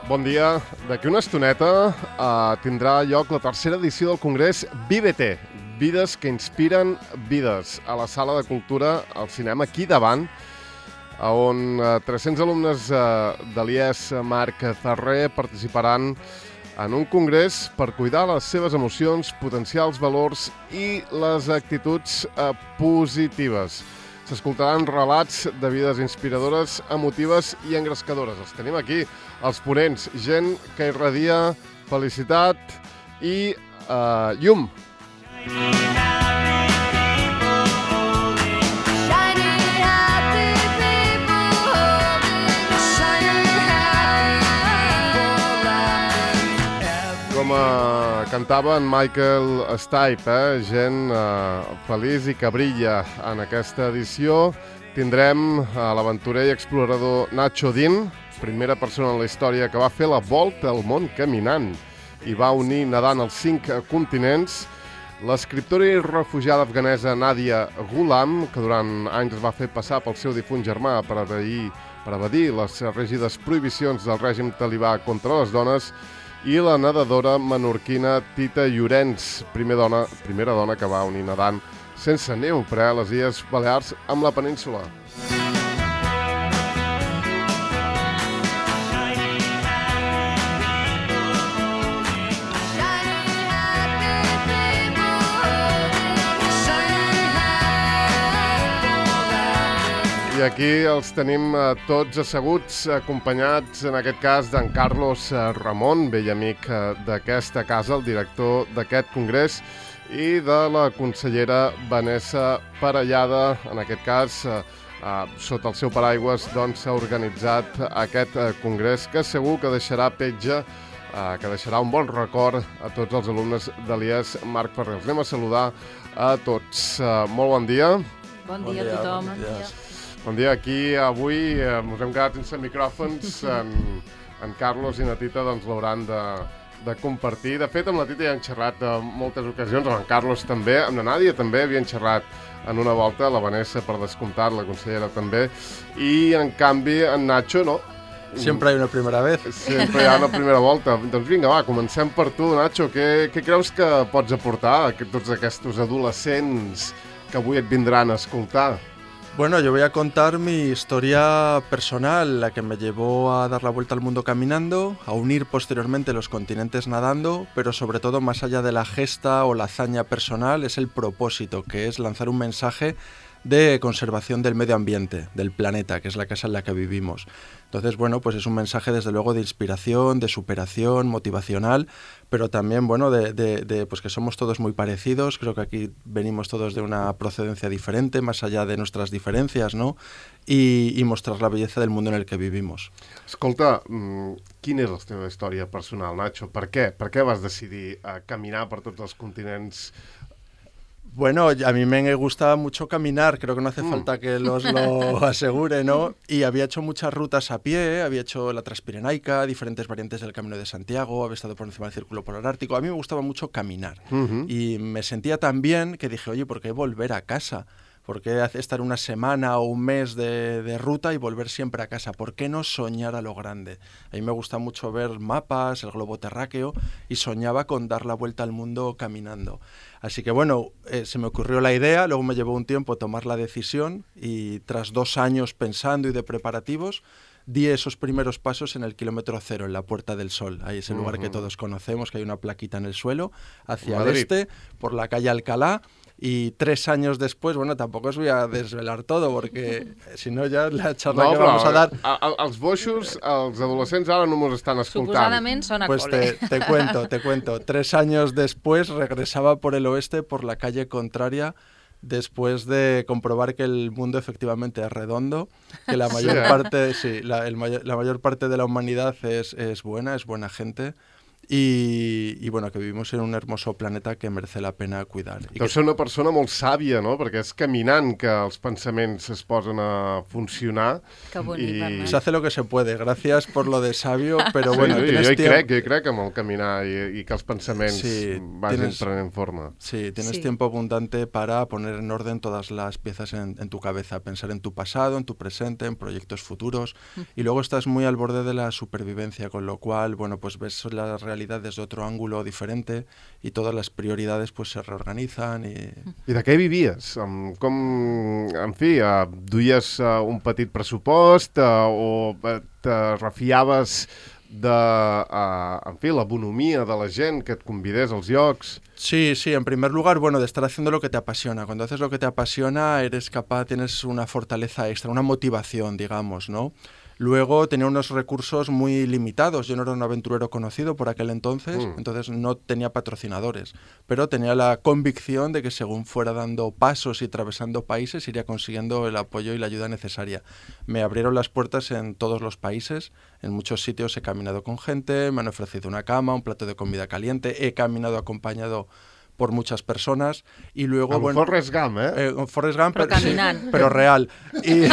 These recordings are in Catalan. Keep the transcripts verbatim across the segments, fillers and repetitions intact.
Bon dia. D'aquí una estoneta uh, tindrà lloc la tercera edició del Congrés Vívete, Vides que inspiren vides, a la Sala de Cultura, al cinema, aquí davant, on uh, tres-cents alumnes uh, de l'I E S Marc Ferrer participaran en un congrés per cuidar les seves emocions, potenciar els valors i les actituds uh, positives. S'escoltaran relats de vides inspiradores, emotives i engrescadores. Els tenim aquí, els ponents, gent que irradia felicitat i uh, llum. Com uh, cantava en Michael Stipe, eh? gent uh, feliç i que brilla en aquesta edició. Tindrem uh, l'aventurer i explorador Nacho Din, primera persona en la història que va fer la volta al món caminant i va unir nedant els cinc continents. L'escriptora i refugiada afganesa Nadia Ghulam, que durant anys es va fer passar pel seu difunt germà per evadir, per evadir les rígides prohibicions del règim talibà contra les dones, i la nedadora menorquina Tita Llorenç, primer dona, primera dona que va unir nedant sense neoprè a les Illes Balears amb la península. I aquí els tenim eh, tots asseguts, acompanyats en aquest cas d'en Carlos eh, Ramon, vell amic eh, d'aquesta casa, el director d'aquest congrés, i de la consellera Vanessa Parellada. En aquest cas, eh, eh, sota el seu paraigües, doncs, s'ha organitzat aquest eh, congrés que segur que deixarà petja, eh, que deixarà un bon record a tots els alumnes de l'I E S Marc Ferrer. Els anem a saludar a tots. Eh, molt bon dia. Bon dia a tothom. Bon dia. Bon dia, aquí avui eh, ens hem quedat sense micròfons, en, en Carlos i na Tita doncs l'hauran de, de compartir. De fet, amb la Tita ja han xerrat en moltes ocasions, amb en Carlos també, amb la Nàdia també havien xerrat en una volta, la Vanessa per descomptat, la consellera també, i en canvi en Nacho no. Sempre hi ha una primera vez. Sempre hi ha una primera volta. Doncs vinga, va, comencem per tu, Nacho. Què, què creus que pots aportar a tots aquests adolescents que avui et vindran a escoltar? Bueno, yo voy a contar mi historia personal, la que me llevó a dar la vuelta al mundo caminando, a unir posteriormente los continentes nadando, pero sobre todo más allá de la gesta o la hazaña personal es el propósito, que es lanzar un mensaje de conservación del medio ambiente, del planeta, que es la casa en la que vivimos. Entonces, bueno, pues es un mensaje desde luego de inspiración, de superación, motivacional, pero también, bueno, de, de, de pues que somos todos muy parecidos. Creo que aquí venimos todos de una procedencia diferente, más allá de nuestras diferencias, ¿no? Y, y mostrar la belleza del mundo en el que vivimos. Escolta, quina és la teva història personal, Nacho? Per què? Per què vas decidir uh, caminar per tots els continents? Bueno, a mí me gustaba mucho caminar, creo que no hace mm. falta que los lo asegure, ¿no? Y había hecho muchas rutas a pie, había hecho la Transpirenaica, diferentes variantes del Camino de Santiago, había estado por encima del Círculo Polar Ártico. A mí me gustaba mucho caminar uh-huh. y me sentía tan bien que dije, oye, ¿por qué volver a casa? ¿Por qué estar una semana o un mes de, de ruta y volver siempre a casa? ¿Por qué no soñar a lo grande? A mí me gusta mucho ver mapas, el globo terráqueo, y soñaba con dar la vuelta al mundo caminando. Así que bueno, eh, se me ocurrió la idea, luego me llevó un tiempo tomar la decisión y tras dos años pensando y de preparativos, di esos primeros pasos en el kilómetro cero, en la Puerta del Sol. Ahí es el uh-huh. lugar que todos conocemos, que hay una plaquita en el suelo, hacia Madrid. el este, por la calle Alcalá. Y tres años después, bueno, tampoco os voy a desvelar todo, porque si no ya la charla no, que però, vamos a dar... A, a, els boixos, els adolescents ara no mos estan escoltant. Suposadament són a Pues cole. te, te cuento, te cuento. Tres años después regresaba por el oeste, por la calle contraria, después de comprobar que el mundo efectivamente es redondo, que la mayor sí, ¿eh? parte, sí, la, el mayor, la mayor parte de la humanidad es, es buena, es buena gente. y, y bueno, que vivimos en un hermoso planeta que merece la pena cuidar. I Deu ser una persona molt sàvia, no? Perquè és caminant que els pensaments es posen a funcionar. Que bonic, i... Bernat. Se hace lo que se puede. Gracias por lo de sabio, pero bueno, sí, sí, tienes jo hi tiempo... crec, jo hi crec amb el caminar i, i que els pensaments Sí, vagin tienes- prenent forma. Sí, tienes Sí. tiempo abundante para poner en orden todas las piezas en, en tu cabeza, pensar en tu pasado, en tu presente, en proyectos futuros, y luego estás muy al borde de la supervivencia, con lo cual, bueno, pues ves la realidad desde otro ángulo diferente y todas las prioridades pues se reorganizan y... I de què vivies? Um, com, en fi, uh, duies uh, un petit pressupost uh, o uh, te refiaves de, uh, en fi, la bonomia de la gent que et convidés als llocs? Sí, sí, en primer lugar, bueno, de estar haciendo lo que te apasiona. Cuando haces lo que te apasiona, eres capaz, tienes una fortaleza extra, una motivación, digamos, ¿no? Luego tenía unos recursos muy limitados. Yo no era un aventurero conocido por aquel entonces, Mm. entonces no tenía patrocinadores, pero tenía la convicción de que según fuera dando pasos y atravesando países, iría consiguiendo el apoyo y la ayuda necesaria. Me abrieron las puertas en todos los países, en muchos sitios he caminado con gente, me han ofrecido una cama, un plato de comida caliente, he caminado acompañado por muchas personas y luego... Amb bueno, Forrest Gump, eh? eh, con Forrest Gump, Però pero, sí, caminant. pero real. Y,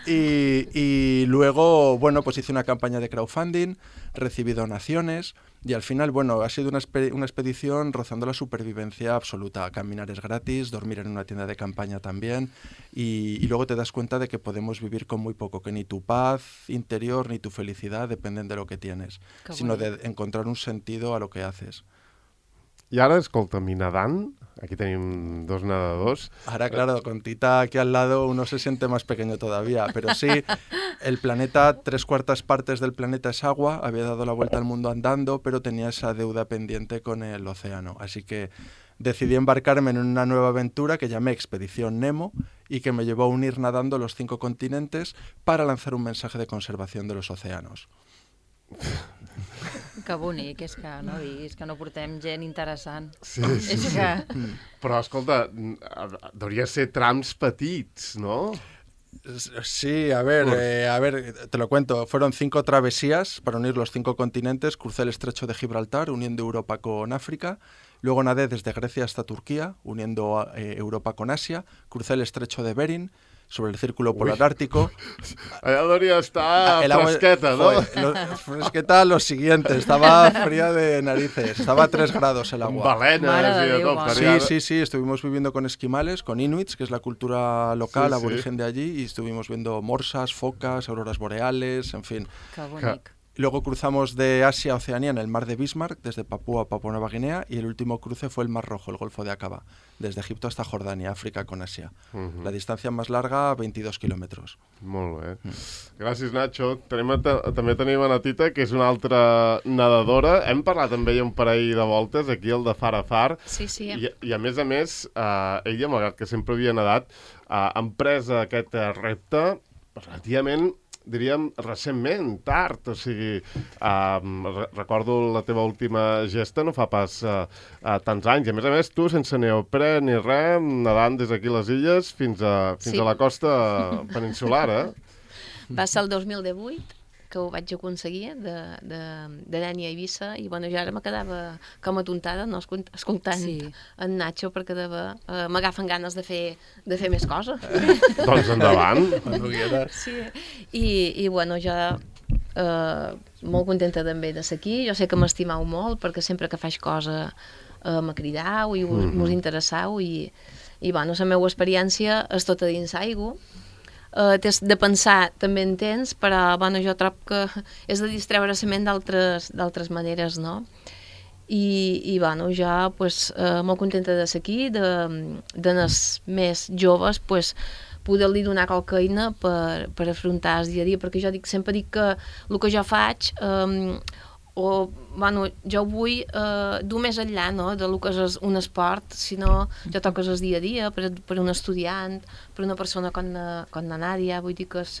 y, y luego, bueno, pues hice una campaña de crowdfunding, recibí donaciones y al final, bueno, ha sido una, expe- una expedición rozando la supervivencia absoluta. Caminar es gratis, dormir en una tienda de campaña también y, y luego te das cuenta de que podemos vivir con muy poco, que ni tu paz interior ni tu felicidad dependen de lo que tienes, Que sino de bonic. encontrar un sentido a lo que haces. I ara, escolta'm, i nedant? Aquí tenim dos nedadors. Ahora, claro, con Tita aquí al lado uno se siente más pequeño todavía, pero sí, el planeta, tres cuartas partes del planeta es agua, había dado la vuelta al mundo andando, pero tenía esa deuda pendiente con el océano, así que decidí embarcarme en una nueva aventura que llamé Expedición Nemo y que me llevó a unir nadando los cinco continentes para lanzar un mensaje de conservación de los océanos. Que bonic, és que no diguis que no portem gent interessant. Sí, sí, És sí. que... Però, escolta, hauria de ser trams petits, no? Sí, a ver, eh, a ver, te lo cuento. Fueron cinco travesías para unir los cinco continentes. Crucé el estrecho de Gibraltar, uniendo Europa con África. Luego nadé desde Grecia hasta Turquía, uniendo eh, Europa con Asia. Crucé el estrecho de Bering, sobre el círculo polar Uy. ártico. Allà hauria d'estar El agua- fresqueta, no? Joder, lo- fresqueta lo siguiente, estaba fría de narices, estaba a tres grados el Amb agua. balenes Mare i de de Déu, tot. mare. Sí, faria- sí, sí, estuvimos viviendo con esquimales, con inuits, que es la cultura local, Sí, sí. aborigen de allí, y estuvimos viendo morsas, focas, auroras boreales, en fin. Que bonic. Luego cruzamos de Asia a Oceanía en el mar de Bismarck, desde Papúa a Papua Nueva Guinea, y el último cruce fue el Mar Rojo, el Golfo de Aqaba, desde Egipto hasta Jordania, África con Asia. Mhm. La distancia más larga, veintidós kilómetros. Molt bé. Gràcies, Nacho. Tenim, a ta- també tenim a na Tita, que és una altra nedadora. Hem parlat amb ella un parell de voltes, aquí al de Far a Far. Sí, sí. I, I a més a més, eh, ella, malgrat que sempre havia nedat, eh, ha emprès aquest eh, repte relativament, diríem, recentment, tard. O sigui, eh, re recordo la teva última gesta no fa pas eh, eh, tants anys. I a més a més, tu, sense neoprè ni res, nedant des d'aquí les illes fins a, fins Sí. a la costa peninsular, eh? Va ser el dos mil divuit que ho vaig aconseguir de, de, de Dènia a Eivissa i bueno, jo ara me quedava com atontada no, escolt- escoltant Sí. en Nacho perquè deva, eh, m'agafen ganes de fer, de fer més coses. Doncs endavant. Cuando quieras. Sí. I, i bueno, jo eh, molt contenta també de ser aquí. Jo sé que m'estimau molt perquè sempre que faig cosa eh, me cridau i us, Mhm. mos interessau i, i bueno, la meva experiència és tota dins aigua. Uh, tens de pensar també en temps, però bueno, jo trobo que és de distreure la ment d'altres d'altres maneres, no? I, i bueno, jo pues, uh, molt contenta de ser aquí, de, de les més joves, pues, poder-li donar qualque eina per, per afrontar el dia a dia, perquè jo dic, sempre dic que el que jo faig um, o, bueno, jo ho vull eh, dur més enllà, no?, de lo que és un esport, sinó jo toques el dia a dia per, per un estudiant, per una persona com la, com la Nàdia, vull dir que és,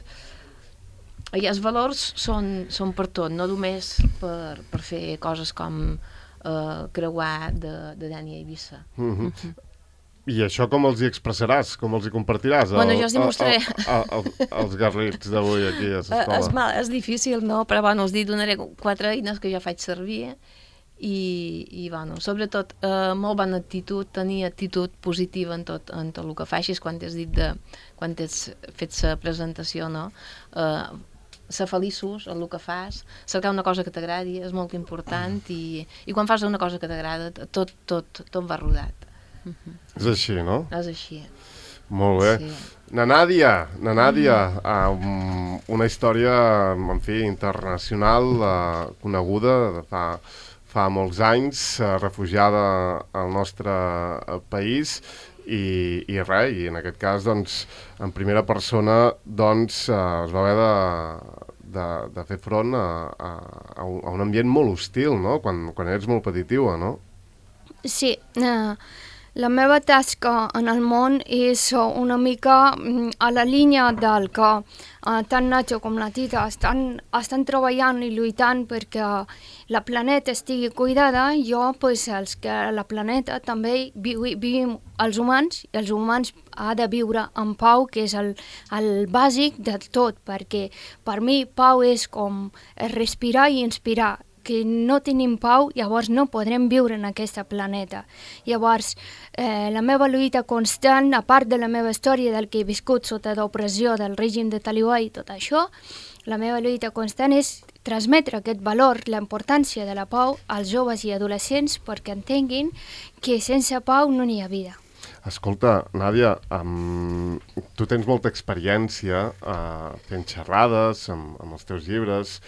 i els valors són, són per tot, no només per, per fer coses com eh, creuar de, de Dènia a Eivissa. Mm-hmm. I això com els hi expressaràs? Com els hi compartiràs? Bueno, jo els hi mostraré. Els garrits d'avui aquí a l'escola. És, mal, és difícil, no? Però bueno, els donaré quatre eines que jo faig servir i, i bueno, sobretot eh, molt bona actitud, tenir actitud positiva en tot, en tot el que facis quan t'has dit de, quan t'has fet la presentació, no? Eh, ser feliços en el que fas, cercar una cosa que t'agradi és molt important i, i quan fas una cosa que t'agrada tot, tot, tot va rodat. Uh-huh. És així, no? És així. Molt bé. Sí. Na Nàdia, na Nàdia, mm. uh, una història, en fi, internacional, uh, coneguda de fa, fa molts anys, uh, refugiada al nostre uh, país, i, i res, i en aquest cas, doncs, en primera persona, doncs, uh, es va haver de, de, de fer front a, a, a un ambient molt hostil, no?, quan, quan eres molt petitiva, no? Sí, uh, la meva tasca en el món és una mica a la línia del que uh, tant Nacho com la Tita estan, estan treballant i lluitant perquè la planeta estigui cuidada. Jo, pues, els que la planeta també vi, vivim els humans, i els humans ha de viure en pau, que és el, el bàsic de tot, perquè per mi pau és com respirar i inspirar. Que no tenim pau, llavors no podrem viure en aquest planeta. Llavors, eh, la meva lluita constant, a part de la meva història del que he viscut sota l'opressió del règim de Talibà i tot això, la meva lluita constant és transmetre aquest valor, la importància de la pau als joves i adolescents perquè entenguin que sense pau no n'hi ha vida. Escolta, Nàdia, um, tu tens molta experiència uh, fent xerrades amb, amb els teus llibres.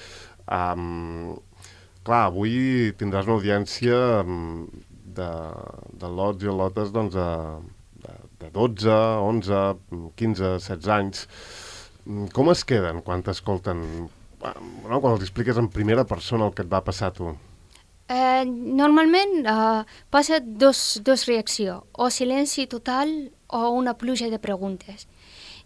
Um, Clar, avui tindràs una audiència de, de lots i lotes doncs, de, de dotze, onze, quinze, setze anys. Com es queden quan t'escolten? No? Quan els expliques en primera persona el que et va passar a tu? Eh, normalment eh, passa dos, dos reaccions, o silenci total o una pluja de preguntes.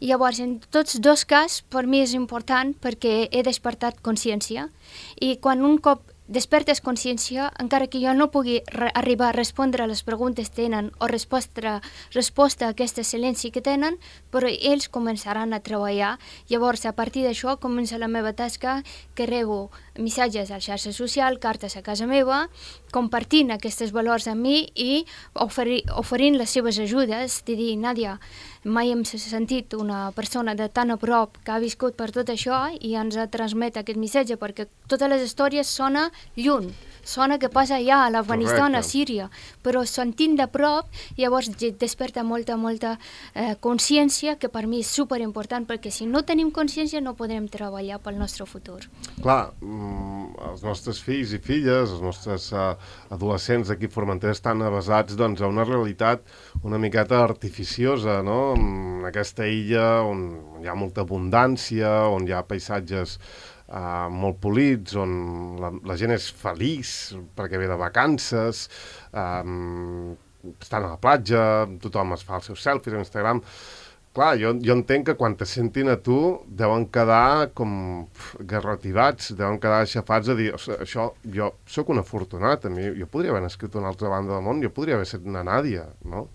I llavors, en tots dos casos, per mi és important perquè he despertat consciència i quan un cop despertes consciència, encara que jo no pugui arribar a respondre a les preguntes que tenen o resposta, resposta a aquest silenci que tenen, però ells començaran a treballar. Llavors, a partir d'això, comença la meva tasca, que rebo missatges a la xarxa social, cartes a casa meva, compartint aquests valors amb mi i oferir, oferint les seves ajudes, de dir, Nàdia, mai hem sentit una persona de tan a prop que ha viscut per tot això i ens transmet aquest missatge, perquè totes les històries sona lluny, sona que passa allà a l'Afganistan, a Síria, però sentint de prop, llavors desperta molta, molta eh, consciència, que per mi és superimportant, perquè si no tenim consciència no podrem treballar pel nostre futur. Clar, els nostres fills i filles, els nostres uh, adolescents d'aquí a Formentera estan avasats doncs, a una realitat una miqueta artificiosa, no? En aquesta illa on hi ha molta abundància, on hi ha paisatges Uh, molt polits, on la, la gent és feliç perquè ve de vacances, um, estan a la platja, tothom es fa els seus selfies a Instagram. Clar, jo, jo entenc que quan te sentin a tu deuen quedar com garrativats, deuen quedar aixafats a dir, això, jo sóc un afortunat, a mi, jo podria haver nascut a una altra banda del món, jo podria haver estat una Nàdia, no?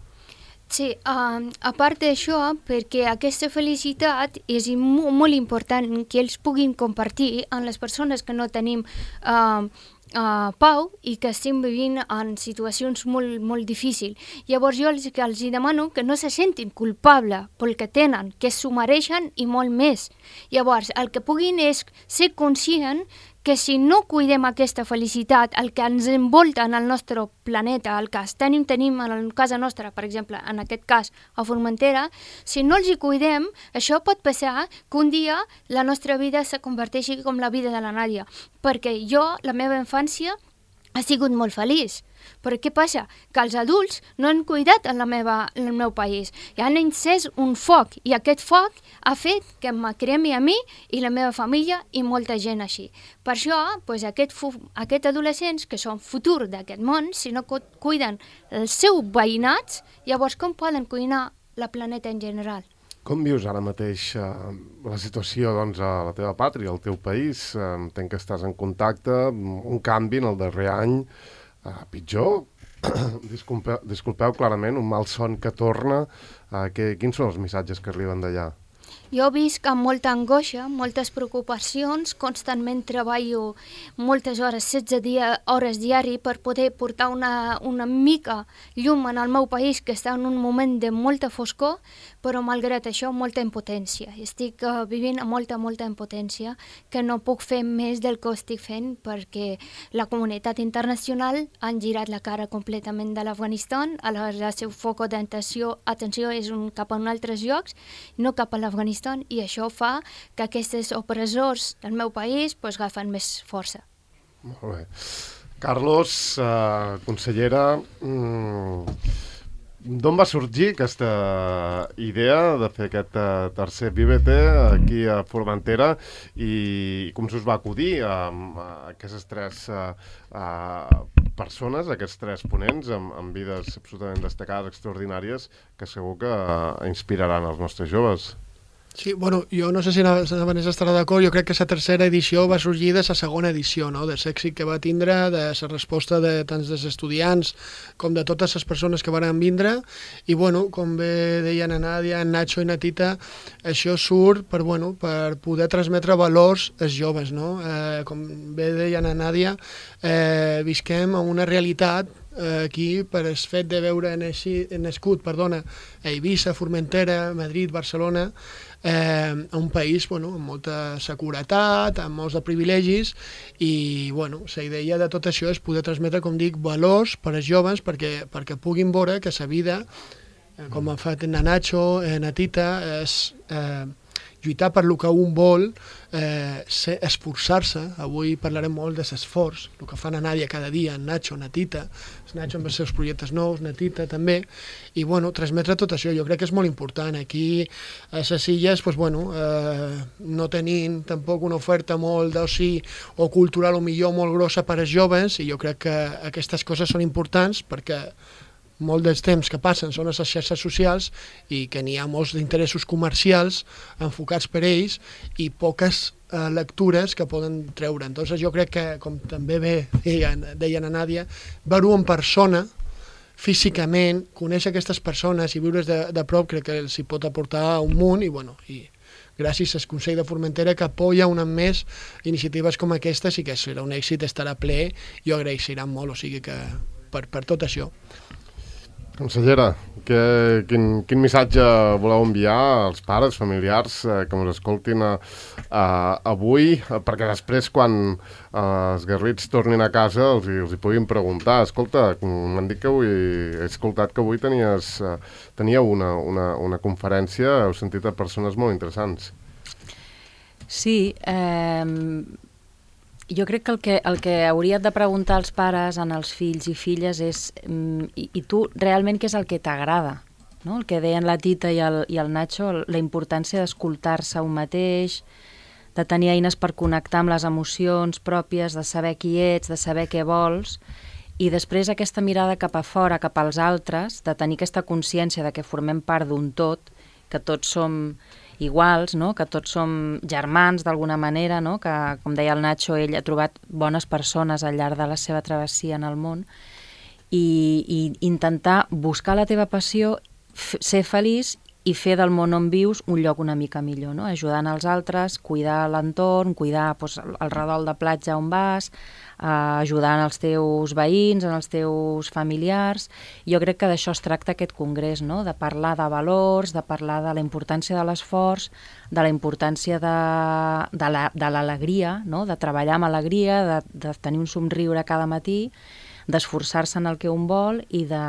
Sí, uh, a part d'això, perquè aquesta felicitat és molt, molt important que ells puguin compartir amb les persones que no tenim uh, uh, pau i que estem vivint en situacions molt, molt difícils. Llavors jo els, que els demano que no se sentin culpables pel que tenen, que s'ho mereixen i molt més. Llavors el que puguin és ser conscient que si no cuidem aquesta felicitat, el que ens envolta en el nostre planeta, el que tenim, tenim en casa nostra, per exemple, en aquest cas a Formentera, si no els hi cuidem, això pot passar que un dia la nostra vida se converteixi com la vida de la Nàdia. Perquè jo, la meva infància, ha sigut molt feliç. Però què passa? Que els adults no han cuidat en, la meva, en el meu país. I han encès un foc, i aquest foc ha fet que em cremi a mi i la meva família i molta gent així. Per això, doncs, aquest, aquests adolescents, que són futur d'aquest món, si no cuiden els seus veïnats, llavors com poden cuinar la planeta en general? Com vius ara mateix eh, la situació doncs, a la teva pàtria, al teu país? Eh, entenc que estàs en contacte, un canvi en el darrer any, eh, pitjor, Disculpeu, disculpeu clarament, un mal son que torna. Uh, que, quins són els missatges que arriben d'allà? Jo visc amb molta angoixa, moltes preocupacions, constantment treballo moltes hores, setze dia, hores diari per poder portar una, una mica llum en el meu país que està en un moment de molta foscor, però malgrat això molta impotència. Estic uh, vivint amb molta, molta impotència que no puc fer més del que estic fent perquè la comunitat internacional han girat la cara completament de l'Afganistan, el seu foc d'atenció atenció és un, cap a un altres llocs, no cap a l'Afganistan, i això fa que aquests opressors del meu país pues, agafen més força. Molt bé. Carlos, eh, consellera, mm, d'on va sorgir aquesta idea de fer aquest uh, tercer Vívete aquí a Formentera i com s'us va acudir a, a aquestes tres uh, uh, persones, aquests tres ponents amb, amb vides absolutament destacades, extraordinàries, que segur que uh, inspiraran els nostres joves? Sí, bueno, jo no sé si la Vanessa estarà d'acord, jo crec que la tercera edició va sorgir de la segona edició, no? De l'èxit que va tindre, de la resposta de tants dels estudiants com de totes les persones que van vindre, i bueno, com bé deien a Nàdia, en Nacho i na Tita, això surt per, bueno, per poder transmetre valors als joves, no? Eh, com bé deien a Nàdia, eh, visquem en una realitat aquí per el fet de veure nascut perdona, a Eivissa, Formentera, Madrid, Barcelona, eh, un país bueno, amb molta seguretat, amb molts de privilegis i bueno, la idea de tot això és poder transmetre, com dic, valors per als joves perquè, perquè puguin veure que la vida, eh, com ha fet en Nacho, en Tita, és eh, lluitar per el que un vol, eh, esforçar-se. Avui parlarem molt de l'esforç, el que fa na Nàdia cada dia, en Nacho, na Tita, Nacho amb els seus projectes nous, na Tita també, i bueno, transmetre tot això, jo crec que és molt important. Aquí a les illes, pues, bueno, eh, no tenim tampoc una oferta molt d'oci o cultural o millor molt grossa per als joves, i jo crec que aquestes coses són importants perquè molt dels temps que passen són a les xarxes socials i que n'hi ha molts d'interessos comercials enfocats per ells i poques eh, lectures que poden treure. Entonces jo crec que, com també bé deien, deien a Nàdia, veure-ho en persona, físicament, conèixer aquestes persones i viure de, de prop crec que els hi pot aportar un munt i, bueno, i gràcies al Consell de Formentera que apoya una més iniciatives com aquestes i que serà un èxit, estarà ple i ho agraeixeran molt, o sigui que per, per tot això. Consellera, que, quin, quin missatge voleu enviar als pares, familiars eh, que ens escoltin a, a, avui, perquè després quan eh, els guerrits tornin a casa els, els hi puguin preguntar. Escolta, m'han dit que avui, he escoltat que avui tenies, eh, teníeu una, una, una conferència, heu sentit a persones molt interessants. Sí, eh... jo crec que el, que el que hauries de preguntar als pares, als fills i filles, és i, i tu realment què és el que t'agrada? No? El que deien la Tita i el, i el Nacho, la importància d'escoltar-se un mateix, de tenir eines per connectar amb les emocions pròpies, de saber qui ets, de saber què vols, i després aquesta mirada cap a fora, cap als altres, de tenir aquesta consciència de que formem part d'un tot, que tots som iguals, no? Que tots som germans d'alguna manera, no? Que, com deia el Nacho, ell ha trobat bones persones al llarg de la seva travessia en el món i, i intentar buscar la teva passió, ser feliç i fer del món on vius un lloc una mica millor, no? Ajudant els altres, cuidar l'entorn, cuidar doncs, el redol de platja on vas, eh, ajudant els teus veïns, els teus familiars. Jo crec que d'això es tracta aquest congrés, no? De parlar de valors, de parlar de la importància de l'esforç, de la importància de, de, la, de l'alegria, no? De treballar amb alegria, de, de tenir un somriure cada matí, d'esforçar-se en el que un vol i de...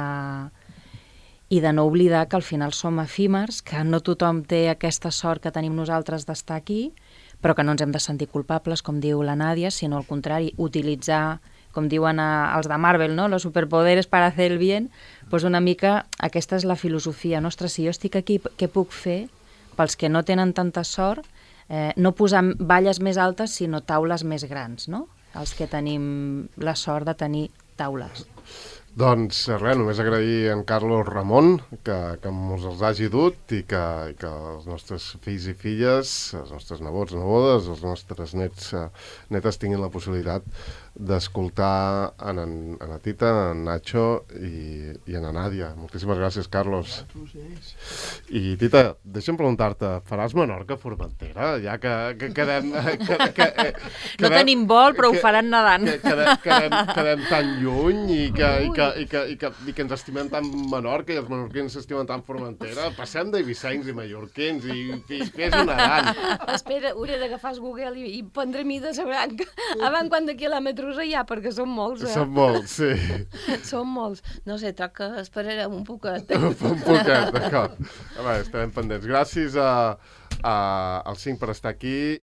i de no oblidar que al final som efímers, que no tothom té aquesta sort que tenim nosaltres d'estar aquí, però que no ens hem de sentir culpables, com diu la Nàdia, sinó al contrari, utilitzar, com diuen a, els de Marvel, no? Los superpoderes para hacer el bien, doncs una mica aquesta és la filosofia nostra. Si jo estic aquí, què puc fer pels que no tenen tanta sort? Eh, no posar valles més altes, sinó taules més grans, no? Els que tenim la sort de tenir taules. Doncs res, només agrair a en Carlos Ramon que, que ens els hagi dut i que, i que els nostres fills i filles, els nostres nebots, nebodes, els nostres nets, netes tinguin la possibilitat d'escoltar en, en, en la Tita, en Nacho i, i en la Nàdia. Moltíssimes gràcies, Carlos. I Tita, deixa'm preguntar-te, faràs Menorca a Formentera? Ja que, que quedem... Que, que, que, no tenim vol, però que, ho faran nedant. Que, que, quedem, quedem tan lluny i que, i, que, i, que, i, que, i que ens estimem tant Menorca i els menorquins s'estimen tant Formentera. Passem d'eivissencs i mallorquins i, i fes-ho nedant. Espera, hauré d'agafar el Google i, i prendre mida de la branca. Abans quant de quilòmetres hi ha, perquè són molts, eh? Són molts, sí. Són molts. No sé, troc que esperarem un poquet. un poquet, d'acord. Estarem pendents. Gràcies a, a, als cinc per estar aquí.